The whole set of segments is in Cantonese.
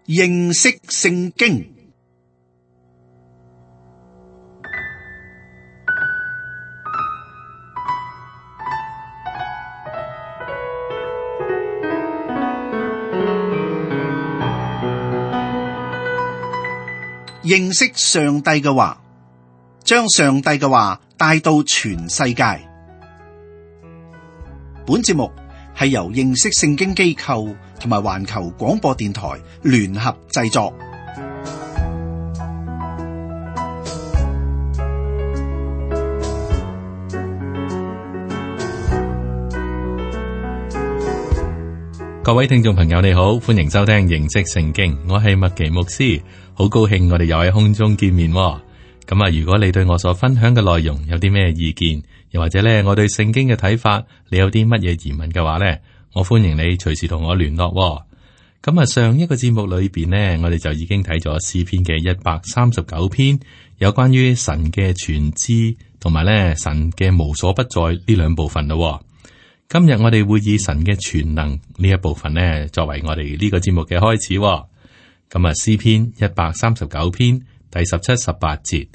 認識聖經。認識上帝嘅話，將上帝嘅話帶到全世界。本節目係由認識聖經機構同埋環球廣播電台聯合製作。各位聽眾朋友，你好，歡迎收聽認識聖經，我係麥奇牧師，好高興我哋又喺空中見面。咁啊，如果你對我所分享嘅內容有啲咩意見，又或者咧我對聖經嘅睇法，你有啲乜嘢疑問嘅話咧，我歡迎你隨時同我聯絡。咁啊，上一個節目裏邊呢，我哋就已經睇咗詩篇嘅139篇，有關於神嘅全知同埋咧神嘅無所不在呢兩部分咯。今日我哋會以神嘅全能呢一部分呢，作為我哋呢個節目嘅開始。咁啊，詩篇139篇第17、18節，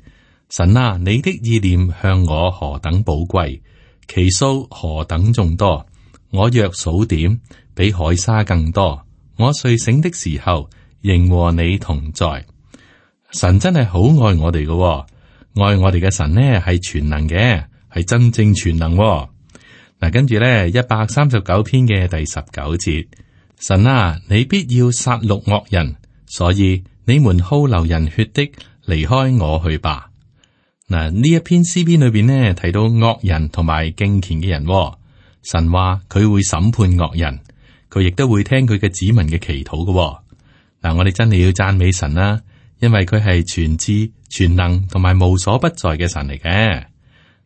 神啊，你的意念向我何等寶貴，其數何等眾多，我若數點，比海沙更多。我睡醒的時候，仍和你同在。神真係好愛我哋嘅，愛我哋嘅神呢係全能嘅，係真正全能。嗱，跟住咧139篇嘅第19節，神啊，你必要殺戮惡人，所以你們好流人血的，離開我去吧。嗱，呢一篇詩篇裏邊呢，提到惡人同埋敬虔嘅人，神話佢會審判惡人，佢亦都會聽佢嘅子民嘅祈禱嘅。嗱，我哋真係要讚美神啦，因為佢係全知全能同埋無所不在嘅神嚟嘅。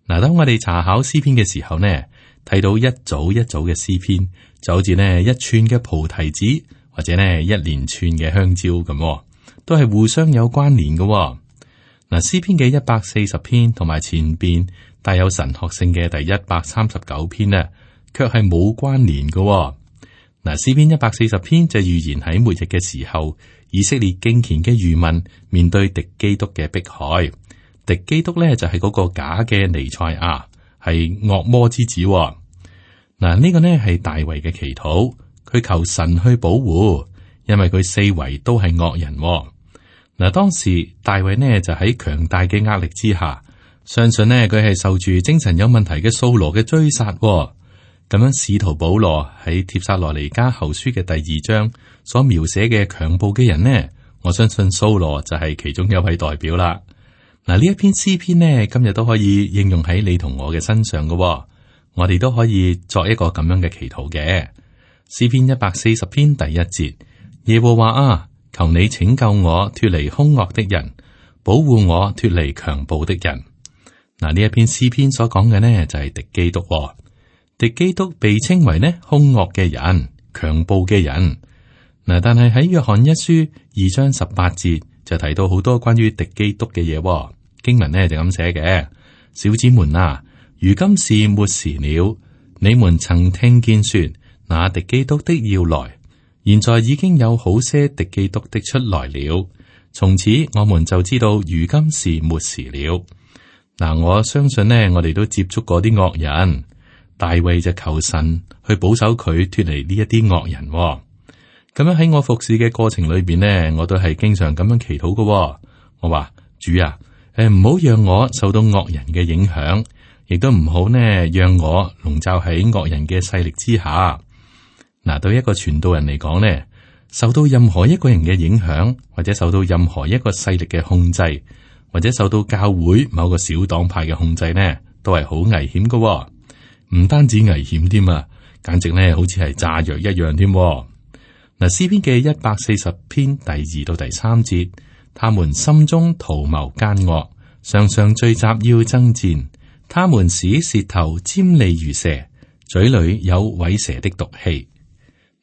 嗱，當我哋查考詩篇嘅時候呢，睇到一組一組嘅詩篇，就好似呢一串嘅菩提子，或者呢一連串嘅香蕉咁，都係互相有關聯嘅。嗱，詩篇嘅140篇同埋前邊帶有神學性嘅第139篇呢，卻係冇關聯嘅。嗱，詩篇140篇就預言喺末日嘅時候，以色列敬虔嘅餘民面對敵基督嘅迫害。敵基督呢就係嗰個假嘅彌賽亞，係惡魔之子。嗱，呢個呢係大衛嘅祈禱，佢求神去保護，因為佢四圍都係惡人。嗱，當時大衛呢就喺強大嘅壓力之下，相信呢佢係受住精神有問題嘅掃羅嘅追殺。咁樣，使徒保羅喺帖撒羅尼迦後書嘅第2章所描寫嘅強暴嘅人呢，我相信掃羅就係其中一位代表啦。嗱，呢一篇詩篇呢，今日都可以應用喺你同我嘅身上嘅，我哋都可以作一個咁樣嘅祈禱嘅。詩篇140篇第1節，耶和華啊，求你拯救我脫離兇惡的人，保護我脫離強暴的人。嗱，呢一篇詩篇所講嘅呢，就係敵基督。敵基督被稱為呢兇惡嘅人、強暴嘅人。嗱，但係喺約翰一書2章18節就提到好多關於敵基督嘅嘢。經文呢就咁寫嘅：小子們啊，如今是末時了。你們曾聽見說那敵基督的要來，現在已經有好些敵基督的出來了。從此我們就知道如今是末時了。嗱，我相信呢，我哋都接觸過啲惡人。大衛就求神去保守佢脫離呢一啲惡人。咁樣喺我服侍嘅過程裏邊呢，我都係經常咁樣祈禱嘅。我話主啊，唔好讓我受到惡人嘅影響，亦都唔好呢讓我籠罩喺惡人嘅勢力之下。嗱，對一個傳道人嚟講呢，受到任何一個人嘅影響，或者受到任何一個勢力嘅控制，或者受到教會某個小黨派嘅控制呢，都係好危險嘅。唔單止危險添啊，簡直咧好似係炸藥一樣添。嗱，詩篇嘅140篇第2到第3節，他們心中圖謀奸惡，常常聚集要爭戰。他們使舌頭尖利如蛇，嘴裏有虺蛇的毒氣。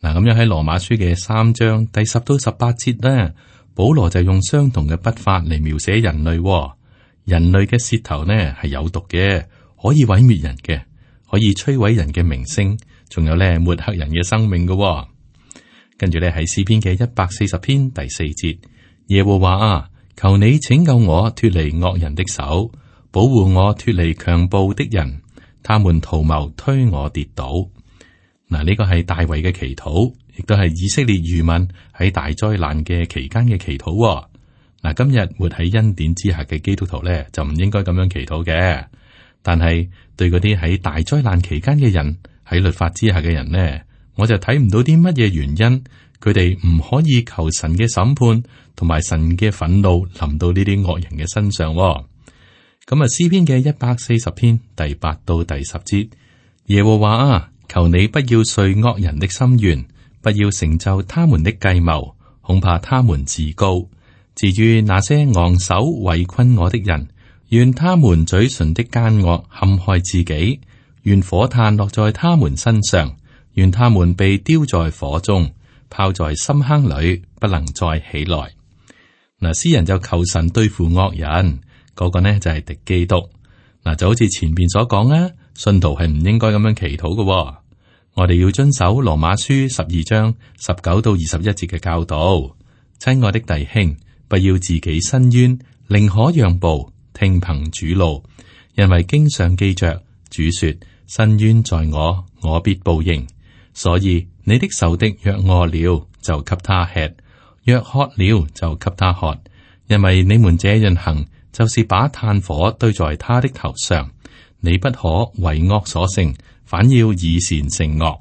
嗱，咁樣喺羅馬書嘅3章第10到18節咧，保羅就用相同嘅筆法嚟描寫人類。人類嘅舌頭呢係有毒嘅，可以毀滅人嘅。可以摧毀人嘅名聲，仲有咧抹黑人嘅生命嘅。跟住咧喺詩篇嘅140篇第4節，耶和華啊，求你拯救我脫離惡人的手，保護我脫離強暴的人，他們圖謀推我跌倒。嗱，呢個係大衛嘅祈禱，亦都係以色列餘民喺大災難嘅期間嘅祈禱。嗱，今日活喺恩典之下嘅基督徒咧，就唔應該咁樣祈禱嘅。但係對嗰啲喺大災難期間嘅人，喺律法之下嘅人呢，我就睇唔到啲乜嘢原因，佢哋唔可以求神嘅審判同埋神嘅憤怒臨到呢啲惡人嘅身上。咁啊，詩篇嘅140篇第8到第10節，耶和華啊，求你不要遂惡人的心願，不要成就他們的計謀，恐怕他們自高。至於那些昂首圍困我的人，願他們嘴唇的奸惡陷害自己，願火炭落在他們身上，願他們被丟在火中，拋在深坑裏，不能再起來。嗱，詩人就求神對付惡人，嗰個呢就係敵基督。嗱，就好似前邊所講啊，信徒係唔應該咁樣祈禱嘅。我哋要遵守羅馬書12章19到21節嘅教導。親愛的弟兄，不要自己伸冤，寧可讓步，聽憑主怒，因為經上記着，主說：伸冤在我，我必報應。所以你的仇敵若餓了，就給他吃；若渴了，就給他喝。因為你們這樣行，就是把炭火堆在他的頭上。你不可為惡所勝，反要以善勝惡。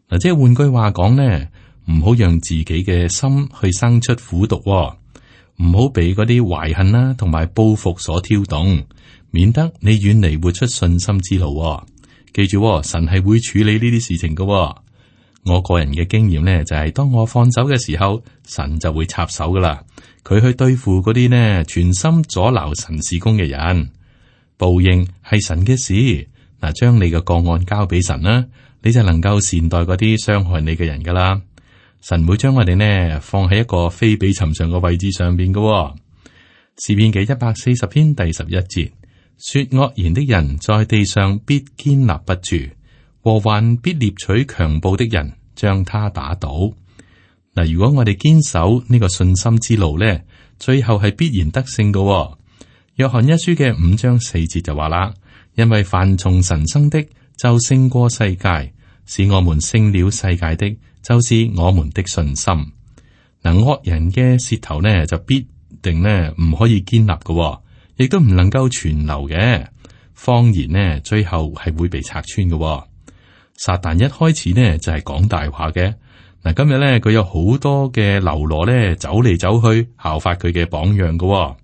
嗱，即係換句話講呢，唔好讓自己嘅心去生出苦毒，唔好俾嗰啲懷恨啦同埋報復所挑動，免得你遠離活出信心之路。記住，神係會處理呢啲事情嘅。我個人嘅經驗呢，就係當我放手嘅時候，神就會插手噶啦。佢去對付嗰啲呢全心阻撓神事工嘅人。報應係神嘅事。嗱，將你嘅個案交俾神啦，你就能夠善待嗰啲傷害你嘅人噶啦。神會將我哋呢放喺一個非比尋常嘅位置上邊嘅。詩篇嘅140篇第11節，說惡言的人在地上必堅立不住，禍患必獵取強暴的人，將他打倒。嗱，如果我哋堅守呢個信心之路呢，最後係必然得勝嘅。約翰一書嘅5章4節就話啦，因為凡從神生的就勝過世界，使我們勝了世界的，就是我們的信心。嗱，惡人嘅舌頭呢就必定呢唔可以堅立嘅，亦都唔能夠存留嘅。謊言呢最後係會被拆穿嘅。撒旦一開始呢就係講大話嘅。嗱，今日呢佢有好多嘅流羅呢走嚟走去效法佢嘅榜樣嘅。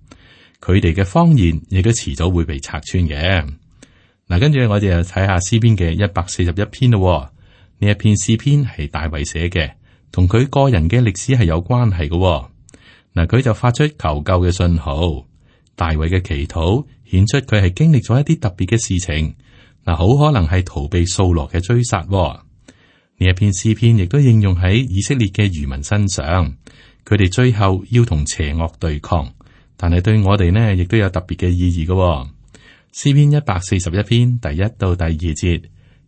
佢哋嘅謊言亦都遲早會被拆穿嘅。嗱，跟住我哋又睇下詩篇嘅141篇咯。呢一篇詩篇係大衛寫嘅，同佢個人嘅歷史係有關係嘅。嗱，佢就發出求救嘅信號。大衛嘅祈禱顯出佢係經歷咗一啲特別嘅事情。嗱，好可能係逃避掃羅嘅追殺。呢一篇詩篇亦都應用喺以色列嘅餘民身上，佢哋最後要同邪惡對抗，但係對我哋呢亦都有特別嘅意義嘅。詩篇141篇第1到第2節，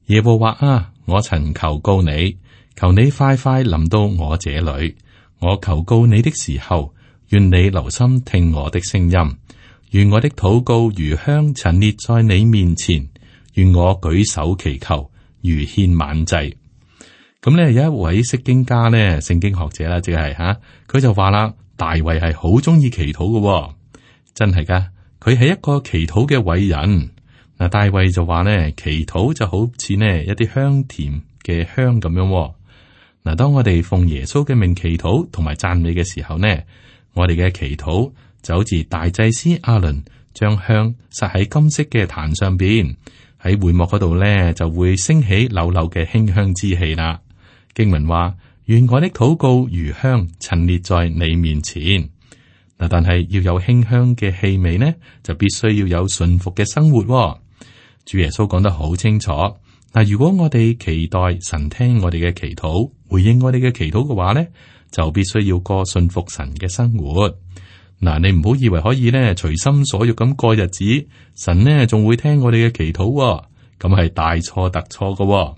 耶和華啊，我曾求告你，求你快快臨到我這裏。我求告你的時候，願你留心聽我的聲音。願我的禱告如香陳列在你面前，願我舉手祈求如獻晚祭。咁呢，有一位釋經家呢，聖經學者啦，即係佢就話啦，大衛係好中意祈禱嘅，真係噶。佢係一個祈禱嘅偉人。嗱，大衛就話呢，祈禱就好似呢一啲香甜嘅香咁樣。嗱，當我哋奉耶穌嘅名祈禱同埋讚美嘅時候呢，我哋嘅祈禱就好似大祭司亞倫將香撒喺金色嘅壇上邊，喺會幕嗰度呢就會升起溜溜嘅馨香之氣啦。經文話：願我的禱告如香陳列在你面前。嗱，但係要有馨香嘅氣味呢，就必須要有順服嘅生活。主耶穌講得好清楚。嗱，如果我哋期待神聽我哋嘅祈禱，回應我哋嘅祈禱嘅話呢，就必須要過順服神嘅生活。嗱，你唔好以為可以呢隨心所欲咁過日子，神呢仲會聽我哋嘅祈禱，咁係大錯特錯嘅。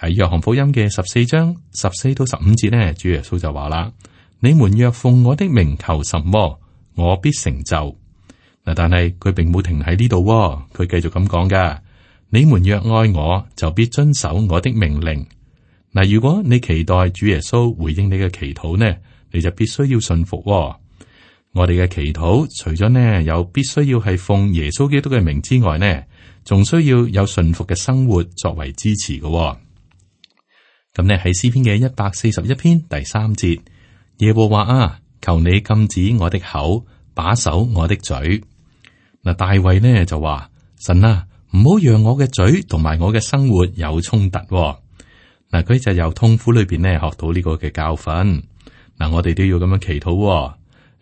喺約翰福音嘅14章14到15節呢，主耶穌就話啦：你們若奉我的名求什麼，我必成就。嗱，但係佢並冇停喺呢度，佢繼續咁講噶：你們若愛我，就必遵守我的命令。嗱，如果你期待主耶穌回應你嘅祈禱呢，你就必須要信服。我哋嘅祈禱除咗呢有必須要係奉耶穌基督嘅名之外呢，仲需要有順服嘅生活作為支持嘅。咁呢喺詩篇嘅141篇第3節，耶和華啊，求你禁止我的口，把守我的嘴。嗱，大衛呢就話：神啊，唔好讓我嘅嘴同埋我嘅生活有衝突。嗱，佢就由痛苦裏邊呢學到呢個嘅教訓。嗱，我哋都要咁樣祈禱。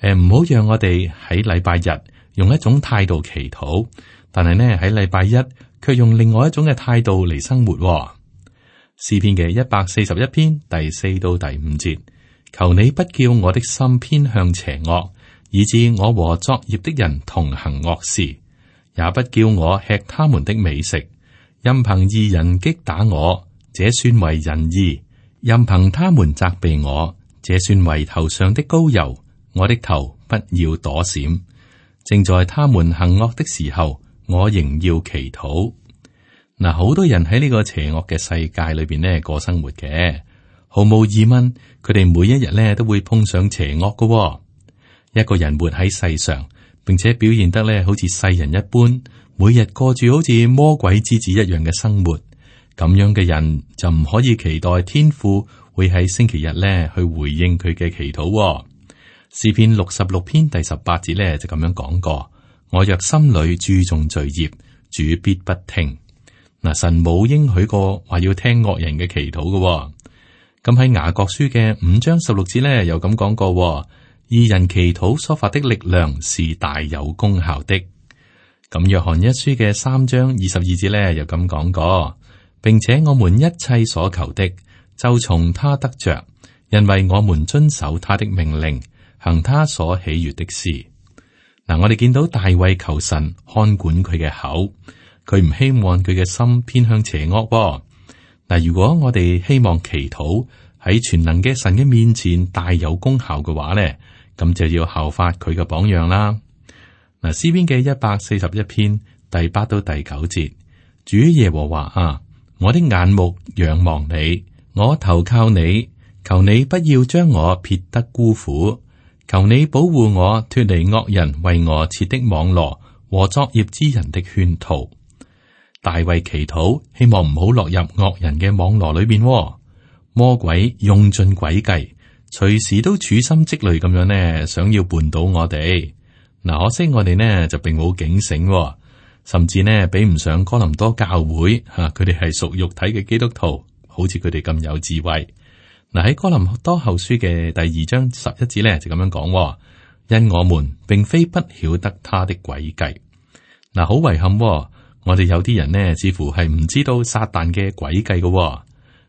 唔好讓我哋喺禮拜日用一種態度祈禱，但係呢喺禮拜一卻用另外一種嘅態度嚟生活。詩篇嘅141篇第4到第5節，求你不叫我的心偏向邪惡，以致我和作孽的人同行惡事，也不叫我吃他們的美食。任憑義人擊打我，這算為仁義；任憑他們責備我，這算為頭上的膏油。我的頭不要躲閃，正在他們行惡的時候，我仍要祈禱。嗱，好多人喺呢個邪惡嘅世界裏邊呢過生活嘅，毫無疑問，佢哋每一日呢都會碰上邪惡嘅。一個人活喺世上，並且表現得呢好似世人一般，每日過住好似魔鬼之子一樣嘅生活，咁樣嘅人就唔可以期待天父會喺星期日呢去回應佢嘅祈禱。詩篇66篇第18節呢就咁樣講過：我若心裏注重罪孽，主必不聽。嗱，神冇應許過話要聽惡人嘅祈禱嘅。咁喺雅各書嘅5章16節呢又咁講過：義人祈禱所發的力量是大有功效的。咁約翰一書嘅3章22節呢又咁講過，並且我們一切所求的就從他得着，因為我們遵守他的命令，行他所喜悅的事。嗱，我哋見到大衛求神看管佢嘅口，佢唔希望佢嘅心偏向邪惡。嗱，如果我哋希望祈禱喺全能嘅神嘅面前大有功效嘅話呢，咁就要效法佢嘅榜樣啦。嗱，詩篇嘅141篇第8到第9節，主耶和華啊，我的眼目仰望你，我投靠你，求你不要將我撇得孤苦。求你保護我脫離惡人為我設的網羅和作孽之人的圈套。大衛祈禱，希望唔好落入惡人嘅網羅裏邊。魔鬼用盡詭計，隨時都處心積慮咁樣呢，想要絆倒我哋。嗱，可惜我哋呢就並冇警醒，甚至呢比唔上哥林多教會吓，佢哋係屬肉體嘅基督徒，好似佢哋咁有智慧。嗱，喺哥林多後書嘅第2章11節咧就咁樣講：因我們並非不曉得他的詭計。嗱，好遺憾，我哋有啲人呢似乎係唔知道撒旦嘅詭計嘅。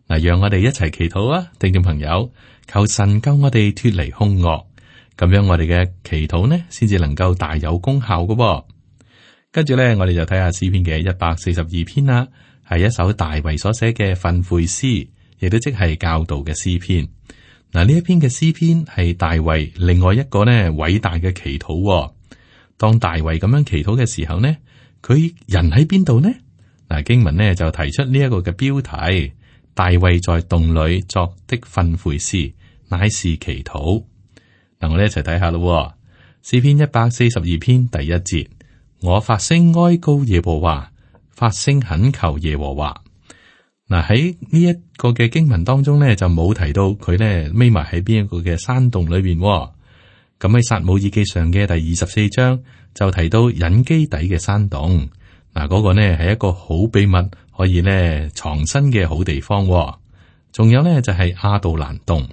嗱，讓我哋一齊祈禱啊，聽眾朋友，求神救我哋脫離兇惡，咁樣我哋嘅祈禱呢先至能夠大有功效嘅。跟住咧，我哋就睇下詩篇嘅142篇啦，係一首大衛所寫嘅訓誨詩。亦都即係教導嘅詩篇。嗱，呢一篇嘅詩篇係大衛另外一個呢偉大嘅祈禱。當大衛咁樣祈禱嘅時候呢，佢人喺邊度呢？嗱，經文呢就提出呢一個嘅標題：大衛在洞裏作的訓誨詩，乃是祈禱。嗱，我哋一齊睇下咯。詩篇142篇第1節：我發聲哀告耶和華，發聲懇求耶和華。嗱，喺呢一個嘅經文當中咧，就冇提到佢咧匿埋喺邊一個嘅山洞裏邊。咁喺撒母耳記上嘅第24章就提到隱基底嘅山洞。嗱，嗰個呢係一個好秘密，可以咧藏身嘅好地方。仲有呢，就係亞杜蘭洞。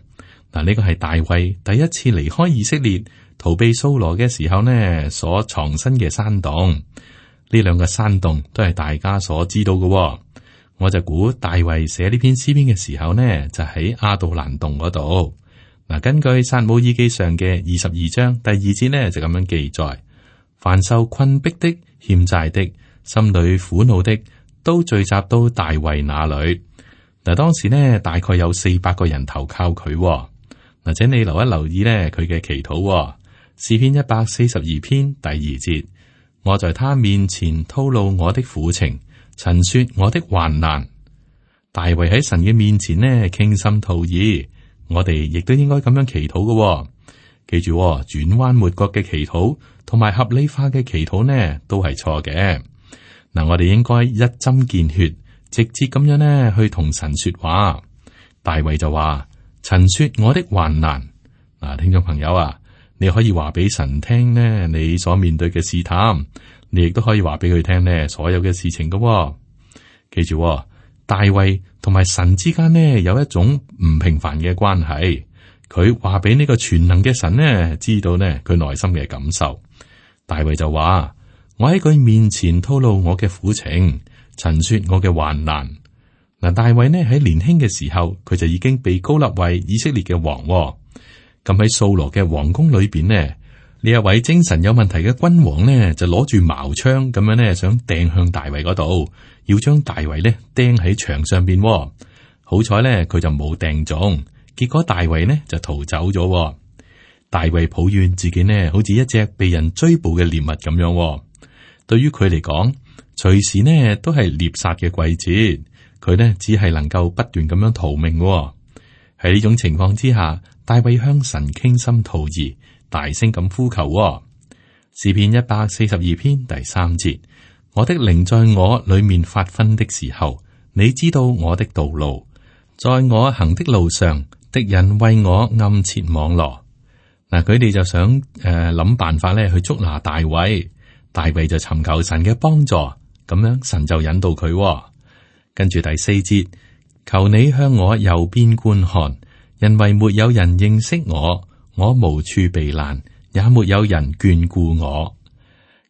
嗱，呢個係大衛第一次離開以色列逃避掃羅嘅時候呢所藏身嘅山洞。呢兩個山洞都係大家所知道嘅。我就估大衛寫呢篇詩篇嘅時候呢，就喺亞杜蘭洞嗰度。嗱，根據撒母耳記上嘅22章第2節呢，就咁樣記載：凡受困逼的、欠債的、心裏苦惱的，都聚集到大衛那裏。嗱，當時呢，大概有400個人投靠佢。嗱，請你留意呢，佢嘅祈禱。詩篇142篇第2節，我在他面前吐露我的苦情，陳說我的患難。大衛喺神嘅面前呢，傾心吐意，我哋亦都應該咁樣祈禱嘅。記住，轉彎抹角嘅祈禱同埋合理化嘅祈禱呢，都係錯嘅。嗱，我哋應該一針見血，直接咁樣呢去同神說話。大衛就話：陳說我的患難。嗱，聽眾朋友啊，你可以話俾神聽呢，你所面對嘅試探，你亦都可以話俾佢聽呢，所有嘅事情嘅。記住，大衛同埋神之間呢，有一種唔平凡嘅關係。佢話俾呢個全能嘅神呢知道呢，佢內心嘅感受。大衛就話：我喺佢面前吐露我嘅苦情，陳說我嘅患難。嗱，大衛呢喺年輕嘅時候，佢就已經被膏立為以色列嘅王。咁喺掃羅嘅皇宮裏邊呢，呢一位精神有問題嘅君王呢，就攞住矛槍咁樣呢，想掟向大衛嗰度，要將大衛呢釘喺牆上邊。好彩呢，佢就冇掟中，結果大衛呢就逃走咗。大衛抱怨自己呢，好似一隻被人追捕嘅獵物咁樣。對於佢嚟講，隨時呢都係獵殺嘅季節，佢呢只係能夠不斷咁樣逃命。喺呢種情況之下，大衛向神傾心吐意，大聲咁呼求。詩篇142篇第3節：我的靈在我裏面發昏的時候，你知道我的道路，在我行的路上，敵人為我暗設網羅。嗱，佢哋就想諗辦法咧去捉拿大衛，大衛就尋求神嘅幫助，咁樣神就引導佢。跟住第4節：求你向我右邊觀看，因為沒有人認識我，我無處避難，也沒有人眷顧我。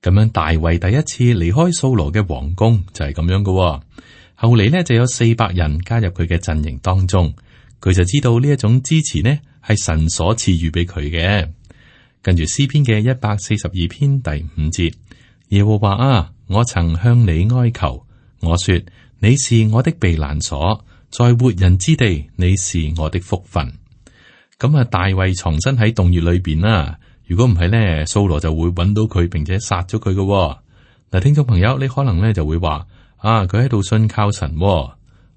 咁樣大衛第一次離開掃羅嘅皇宮就係咁樣嘅。後嚟呢就有400人加入佢嘅陣營當中，佢就知道呢一種支持呢係神所賜予俾佢嘅。跟住詩篇嘅142篇第5節：耶和華啊，我曾向你哀求，我說你是我的避難所，在活人之地你是我的福分。咁啊，大衛藏身喺洞穴裏邊啦。如果唔係呢，掃羅就會揾到佢，並且殺咗佢嘅。嗱，聽眾朋友，你可能呢就會話：啊，佢喺度信靠神。冇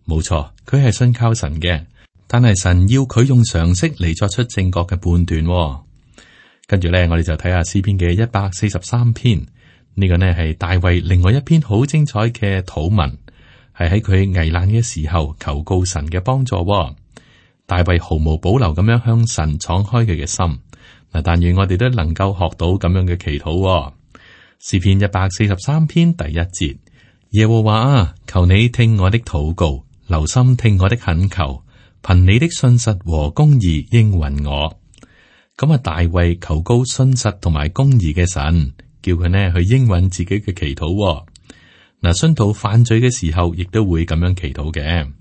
錯，佢係信靠神嘅，但係神要佢用常識嚟作出正確嘅判斷。跟住咧，我哋就睇下詩篇嘅143篇，呢個呢係大衛另外一篇好精彩嘅禱文，係喺佢危難嘅時候求告神嘅幫助。大衛毫無保留咁樣向神敞開佢嘅心。嗱，但願我哋都能夠學到咁樣嘅祈禱。詩篇143篇第1節：耶和華啊，求你聽我的禱告，留心聽我的懇求，憑你的信實和公義應允我。咁啊，大衛求告信實同埋公義嘅神，叫佢呢去應允自己嘅祈禱。嗱，信徒犯罪嘅時候，亦都會咁樣祈禱嘅。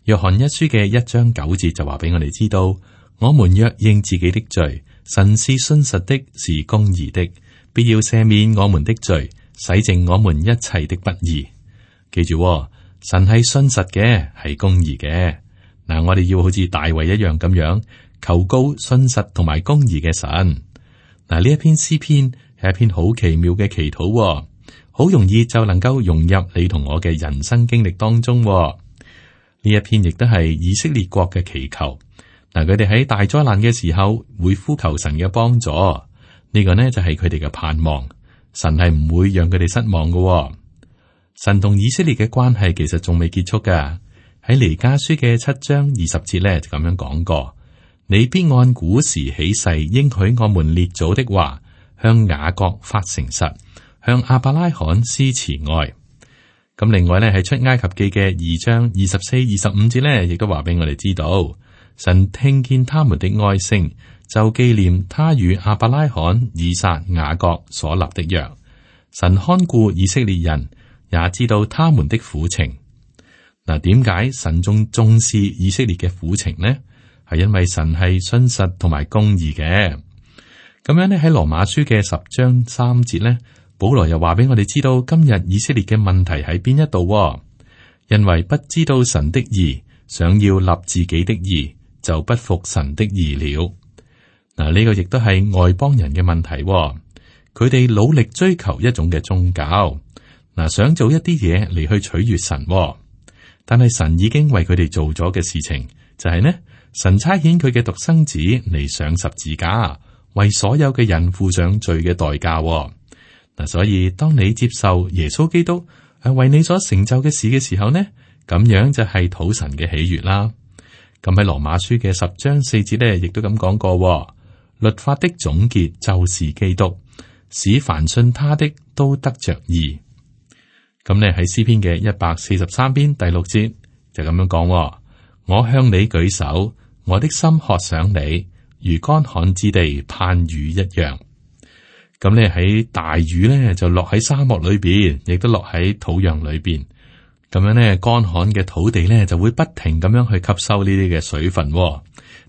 約翰一書嘅1章9節就話俾我哋知道：我們若認自己的罪，神是信實的，是公義的，必要赦免我們的罪，洗淨我們一切的不義。記住，神係信實嘅，係公義嘅。嗱，我哋要好似大衛一樣咁樣求告信實同埋公義嘅神。嗱，呢一篇詩篇係一篇好奇妙嘅祈禱，好容易就能夠融入你同我嘅人生經歷當中。呢一篇亦都係以色列國嘅祈求。嗱，佢哋喺大災難嘅時候會呼求神嘅幫助，呢個呢就係佢哋嘅盼望。神係唔會讓佢哋失望嘅。神同以色列嘅關係其實仲未結束噶。喺彌迦書嘅7章20節呢就咁樣講過：你必按古時起誓應許我們列祖的話，向雅各發誠實，向亞伯拉罕施慈愛。咁另外呢，喺出埃及記嘅2章24、25節呢，亦都話俾我哋知道，神聽見他們的哀聲，就紀念他與亞伯拉罕、以撒、雅各所立的約。神看顧以色列人，也知道他們的苦情。嗱，點解神仲重視以色列嘅苦情呢？係因為神係信實同埋公義嘅。咁樣呢，喺羅馬書嘅10章3節呢，保羅又話俾我哋知道，今日以色列嘅問題喺邊一度？因為不知道神的義，想要立自己的義，就不服神的義了。嗱，呢個亦都係外邦人嘅問題。佢哋努力追求一種嘅宗教，嗱，想做一啲嘢嚟去取悅神。但係神已經為佢哋做咗嘅事情，就係呢，神差遣佢嘅獨生子嚟上十字架，為所有嘅人付上罪嘅代價。嗱，所以當你接受耶穌基督係為你所成就嘅事嘅時候呢，咁樣就係討神嘅喜悅啦。咁喺羅馬書嘅10章4節呢，亦都咁講過，律法的總結就是基督，使凡信他的都得着義。咁呢喺詩篇嘅143篇第6節就咁樣講，我向你舉手，我的心渴想你，如乾旱之地盼雨一樣。咁咧喺大雨咧就落喺沙漠裏邊，亦都落喺土壤裏邊。咁樣咧乾旱嘅土地咧就會不停咁樣去吸收呢啲嘅水分。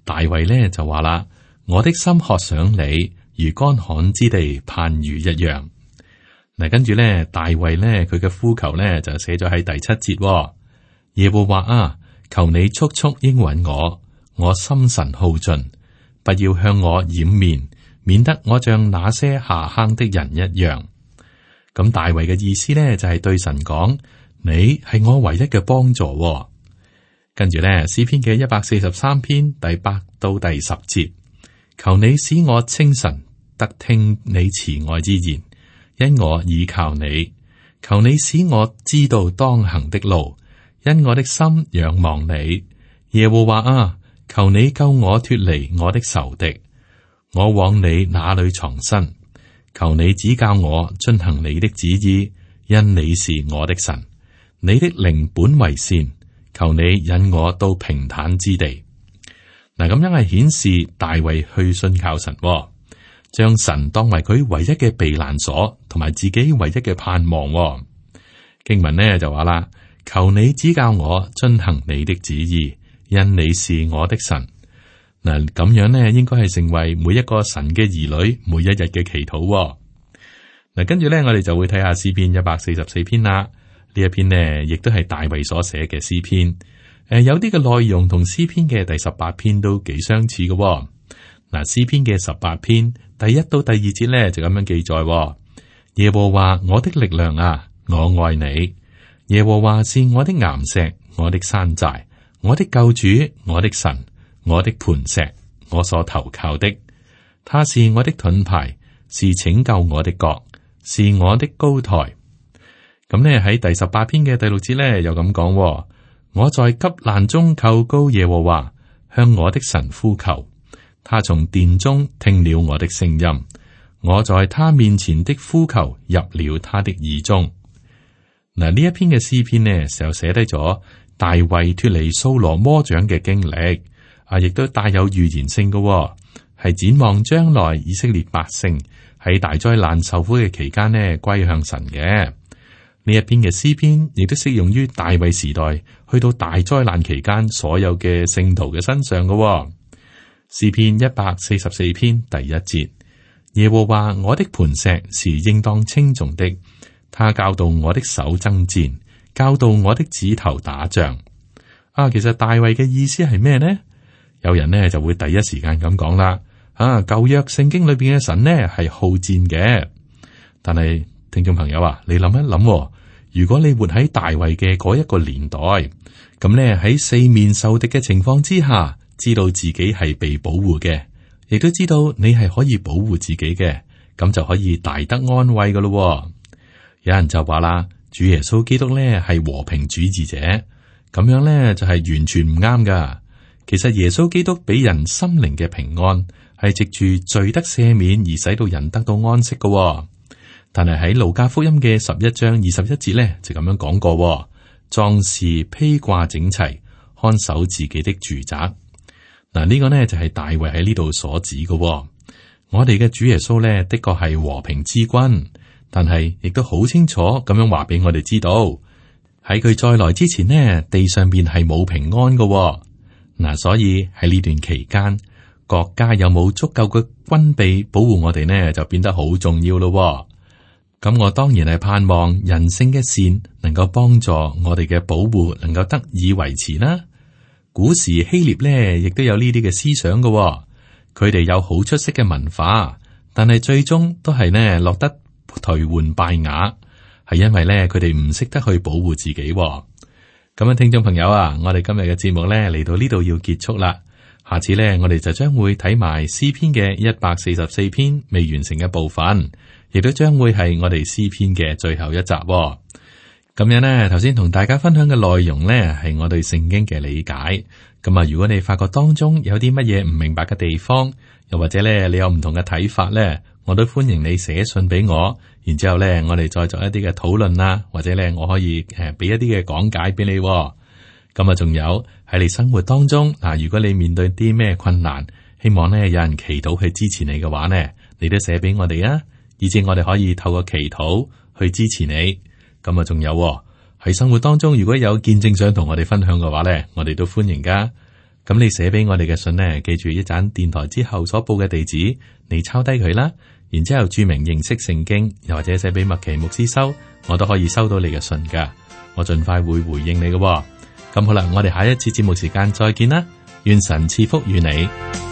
大衛咧就話啦：我的心渴想你，如乾旱之地盼雨一樣。嗱，跟住咧大衛咧佢嘅呼求咧就寫咗喺第7節。耶和華啊，求你速速應允我，我心神耗盡，不要向我掩面，免得我像那些下坑的人一樣。咁大衛嘅意思咧就係對神講：你係我唯一嘅幫助。跟住咧詩篇嘅143篇第8到第10節，求你使我清晨得聽你慈愛之言，因我倚靠你。求你使我知道當行的路，因我的心仰望你。耶和華啊，求你救我脫離我的仇敵。我往你那裏藏身，求你指教我遵行你的旨意，因你是我的神。你的靈本為善，求你引我到平坦之地。嗱，咁樣係顯示大衛去信靠神，將神當為佢唯一嘅避難所，同埋自己唯一嘅盼望。經文呢就話啦：求你指教我遵行你的旨意，因你是我的神。嗱，咁樣呢，應該係成為每一個神嘅兒女每一日嘅祈禱。嗱，跟住呢，我哋就會睇下詩篇144篇啦。呢一篇呢，亦都係大衛所寫嘅詩篇。有啲嘅內容同詩篇嘅第18篇都幾相似嘅。嗱，詩篇嘅18篇第1到第2節呢，就咁樣記載：耶和華我的力量啊，我愛你。耶和華是我的岩石，我的山寨，我的救主，我的神。我的磐石，我所投靠的，他是我的盾牌，是拯救我的角，是我的高台。咁呢喺第18篇嘅第6節呢，又咁講：我在急難中求告耶和華，向我的神呼求，他從殿中聽了我的聲音，我在他面前的呼求入了他的耳中。嗱，呢一篇嘅詩篇呢，就寫低咗大衛脫離掃羅魔掌嘅經歷。亦都帶有預言性嘅，係展望將來以色列百姓喺大災難受苦嘅期間呢，歸向神嘅。呢一篇嘅詩篇亦都適用於大衛時代去到大災難期間所有嘅聖徒嘅身上嘅。詩篇144篇第1節：耶和華我的磐石是應當稱頌的，他教導我的手爭戰，教導我的指頭打仗。其實大衛嘅意思係咩呢？有人呢就會第一時間咁講啦，舊約聖經裏邊嘅神呢係好戰嘅。但係聽眾朋友啊，你諗一諗，如果你活喺大衛嘅嗰一個年代，咁呢喺四面受敵嘅情況之下，知道自己係被保護嘅，亦都知道你係可以保護自己嘅，咁就可以大得安慰噶咯。有人就話啦，主耶穌基督呢係和平主義者，咁樣呢就係完全唔啱噶。其實耶穌基督俾人心靈嘅平安，係藉住罪得赦免而使到人得到安息嘅。但係喺路加福音嘅11章21節咧，就咁樣講過：壯士披掛整齊，看守自己的住宅。嗱，呢個呢就係大衛喺呢度所指嘅。我哋嘅主耶穌呢，的確係和平之君，但係亦都好清楚咁樣話俾我哋知道，喺佢再來之前呢，地上邊係冇平安嘅。嗱，所以喺呢段期間，國家有冇足夠嘅軍備保護我哋呢，就變得好重要咯。咁我當然係盼望人性嘅善能夠幫助我哋嘅保護，能夠得以維持啦。古時希臘咧，亦都有呢啲嘅思想嘅、哦。佢哋有好出色嘅文化，但係最終都係呢落得頹垣敗瓦，係因為咧佢哋唔識得去保護自己、哦。咁啊，聽眾朋友啊，我哋今日嘅節目咧嚟到呢度要結束啦。下次咧，我哋就將會睇埋詩篇嘅144篇未完成嘅部分，亦都將會係我哋詩篇嘅最後一集、哦。咁樣呢，頭先同大家分享嘅內容呢，係我對聖經嘅理解。咁啊，如果你發覺當中有啲乜嘢唔明白嘅地方，又或者咧你有唔同嘅睇法呢，我都歡迎你寫信俾我，然之後咧我哋再作一啲嘅討論啦，或者咧我可以俾一啲嘅講解俾你。咁啊，仲有喺你生活當中嗱，如果你面對啲咩困難，希望咧有人祈禱去支持你嘅話呢，你都寫俾我哋啊，以至我哋可以透過祈禱去支持你。咁啊，仲有喺生活當中，如果有見證想同我哋分享嘅話咧，我哋都歡迎噶。咁你寫俾我哋嘅信呢，記住一盞電台之後所報嘅地址，你抄低佢啦，然之後注明認識聖經，又或者寫俾麥奇牧師收，我都可以收到你嘅信噶。我盡快會回應你嘅。咁好啦，我哋下一次節目時間再見啦，願神賜福與你。